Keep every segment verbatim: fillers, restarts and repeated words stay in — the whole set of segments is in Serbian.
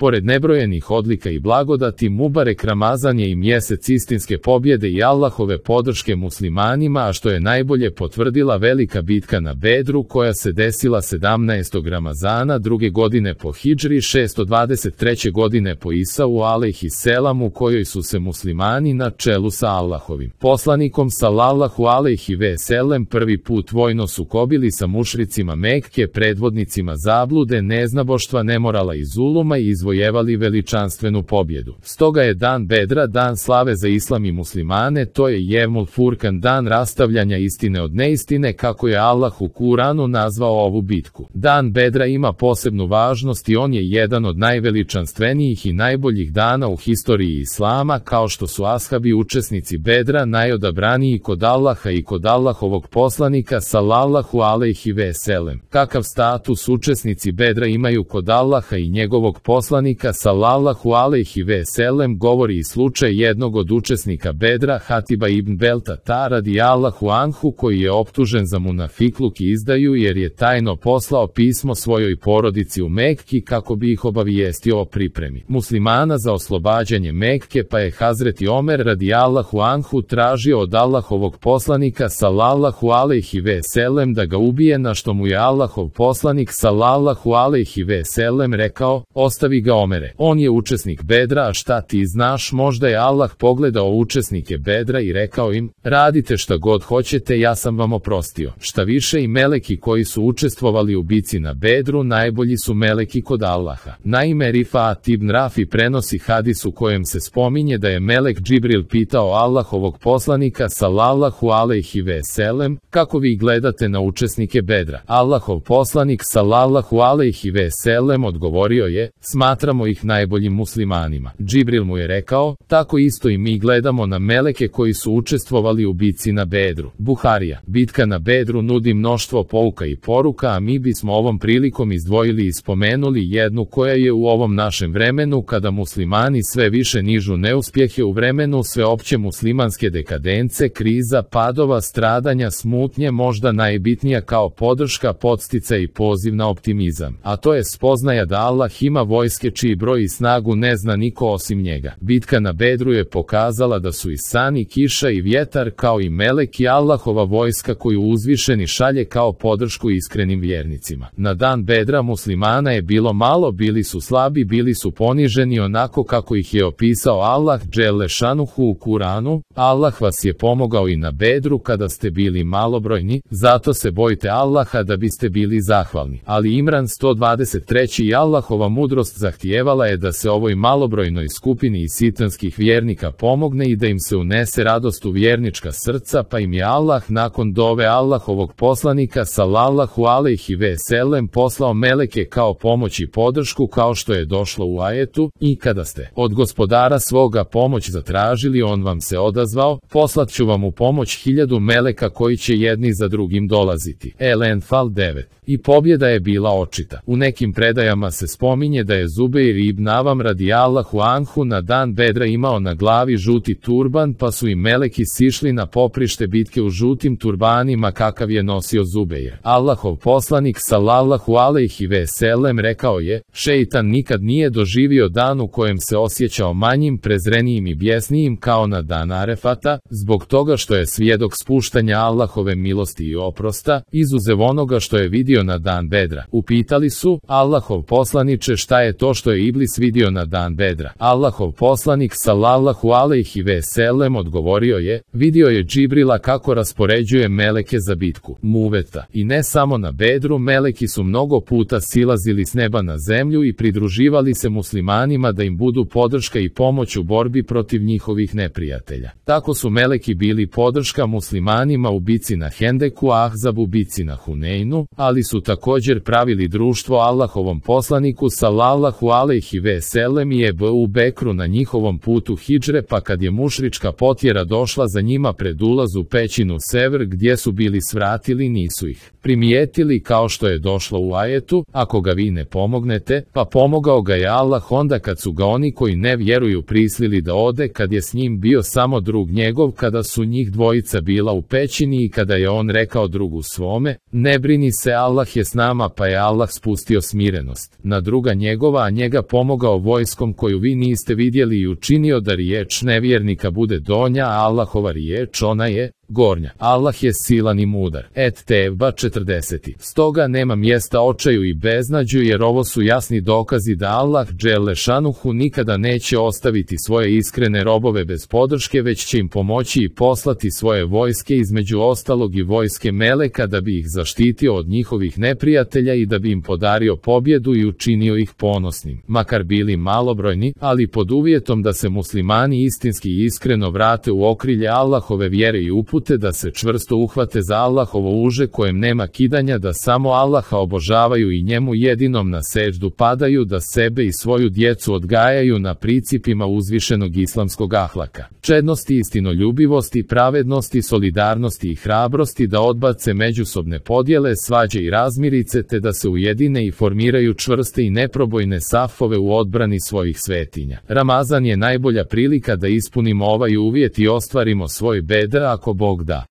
Pored nebrojenih odlika i blagodati, Mubarek Ramazan je i mjesec istinske pobjede i Allahove podrške muslimanima, a što je najbolje potvrdila velika bitka na Bedru koja se desila sedamnaestog Ramazana druge godine po hidžri, šesto dvadeset treće godine po Isau alejhiselam, u kojoj su se muslimani na čelu sa Allahovim poslanikom sallallahu alejhi ve sellem prvi put vojno sukobili sa mušricima Mekke, predvodnicima zablude, neznaboštva, nemorala i zuluma, i izvojevali veličanstvenu pobjedu. Stoga je dan Bedra dan slave za islam i muslimane, to je Jevmul Furkan, dan rastavljanja istine od neistine, kako je Allah u Kuranu nazvao ovu bitku. Dan Bedra ima posebnu važnost i on je jedan od najveličanstvenijih i najboljih dana u historiji islama, kao što su ashabi učesnici Bedra najodabraniji kod Allaha i kod Allahovog poslanika sallallahu alejhi ve sellem. Kakav status učesnici Bedra imaju kod Allaha i njegovog poslanika sallallahu alejhi ve sellem govori i slučaj jednog od učesnika Bedra, Hatiba ibn Beltata radijallahu anhu, koji je optužen za munafikluk i izdaju jer je tajno poslao pismo svojoj porodici u Mekki kako bi ih obavijestio o pripremi muslimana za oslobađanje Mekke, pa je Hazreti Omer radijallahu anhu tražio od Allahovog poslanika sallallahu alejhi ve sellem da ga ubije, na što mu je Allahov poslanik sallallahu alejhi ve sellem rekao: ostavi ga Omere, on je učesnik Bedra, a šta ti znaš? Možda je Allah pogledao učesnike Bedra i rekao im: radite šta god hoćete, ja sam vam oprostio. Šta više, i meleki koji su učestvovali u bici na Bedru najbolji su meleki kod Allaha. Naime, Rifaat ibn Rafi prenosi hadis u kojem se spominje da je melek Džibril pitao Allahovog poslanika sallallahu alejhi ve sellem: kako vi gledate na učesnike Bedra? Allahov poslanik sallallahu alejhi ve sellem odgovorio je: smatramo ih najboljim muslimanima. Džibril mu je rekao: tako isto i mi gledamo na meleke koji su učestvovali u bici na Bedru. Buharija. Bitka na Bedru nudi mnoštvo pouka i poruka, a mi bismo ovom prilikom izdvojili i spomenuli jednu koja je u ovom našem vremenu, kada muslimani sve više nižu neuspjehe, u vremenu sveopće muslimanske dekadence, kriza, padova, stradanja, smutnje, možda najbitnija kao podrška, podsticaj i poziv na optimizam. A to je spoznaja da Allah ima vojske čiji broj i snagu ne zna niko osim njega. Bitka na Bedru je pokazala da su i san i kiša i vjetar, kao i meleki, Allahova vojska koju uzvišeni šalje kao podršku iskrenim vjernicima. Na dan Bedra muslimana je bilo malo, bili su slabi, bili su poniženi onako kako ih je opisao Allah dželle šanuhu u Kuranu. Allah vas je pomogao i na Bedru kada ste bili malobrojni, zato se bojte Allaha da biste bili zahvalni. Ali Imran sto dvadeset treći i Allahova mudrost zahtijevala je da se ovoj malobrojnoj skupini i sitanskih vjernika pomogne i da im se unese radost u vjernička srca, pa im je Allah nakon dove Allahovog poslanika sallallahu alejhi ve sellem poslao meleke kao pomoć i podršku, kao što je došlo u ajetu: i kada ste od gospodara svoga pomoć zatražili, on vam se odazvao, poslat ću vam u pomoć hiljadu meleka koji će jedni za drugim dolaziti. El-Enfal devet. I pobjeda je bila očita. U nekim predajama se spominje da je Zubeir ibn Avam radijallahu anhu na dan Bedra imao na glavi žuti turban, pa su i meleki sišli na poprište bitke u žutim turbanima kakav je nosio Zubeir. Allahov poslanik sallallahu alejhi ve sellem rekao je: šeitan nikad nije doživio dan u kojem se osjećao manjim, prezrenijim i bijesnijim kao na dan Arefata, zbog toga što je svjedok spuštanja Allahove milosti i oprosta, izuzev onoga što je vidio na dan Bedra. Upitali su: Allahov poslaniče, šta je to što je Iblis vidio na dan Bedra? Allahov poslanik sallallahu alejhi ve sellem odgovorio je: vidio je Džibrila kako raspoređuje meleke za bitku Muveta. I ne samo na Bedru, meleki su mnogo puta silazili s neba na zemlju i pridruživali se muslimanima da im budu podrška i pomoć u borbi protiv njihovih neprijatelja. Tako su meleki bili podrška muslimanima u bici na Hendeku, Ahzabu, bici na Huneinu, ali su također pravili društvo Allahovom poslaniku sallallahu alejhi ve sellem i Ebu Bekru na njihovom putu hidžre, pa kad je mušrička potjera došla za njima pred ulaz u pećinu Sever gdje su bili svratili, nisu ih primijetili, kao što je došlo u ajetu: ako ga vi ne pomognete, pa pomogao ga je Allah onda kad su ga oni koji ne vjeruju prisilili da ode, kad je s njim bio samo drug njegov, kada su njih dvojica bila u pećini i kada je on rekao drugu svome: ne brini se, Allah je s nama, pa je Allah spustio smirenost na druga njegova, a njega pomogao vojskom koju vi niste vidjeli i učinio da riječ nevjernika bude donja, a Allahova riječ ona je gornja. Allah je silan i mudar. Et Tevba četrdeset. Stoga nema mjesta očaju i beznađu, jer ovo su jasni dokazi da Allah dželle šanuhu nikada neće ostaviti svoje iskrene robove bez podrške, već će im pomoći i poslati svoje vojske, između ostalog i vojske meleka, da bi ih zaštitio od njihovih neprijatelja i da bi im podario pobjedu i učinio ih ponosnim. Makar bili malobrojni, ali pod uvjetom da se muslimani istinski i iskreno vrate u okrilje Allahove vjere i upute, da se čvrsto uhvate za Allahovo uže kojem nema kidanja, da samo Allaha obožavaju i njemu jedinom na seđdu padaju, da sebe i svoju djecu odgajaju na principima uzvišenog islamskog ahlaka, čednosti, istinoljubivosti, pravednosti, solidarnosti i hrabrosti, da odbace međusobne podjele, svađe i razmirice, te da se ujedine i formiraju čvrste i neprobojne safove u odbrani svojih svetinja. Ramazan je najbolja prilika da ispunimo ovaj uvjet i ostvarimo svoj bedr ako Bog da.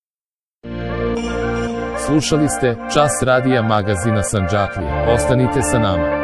Slušali ste Čas radija magazina Sandžaklije. Ostanite sa nama.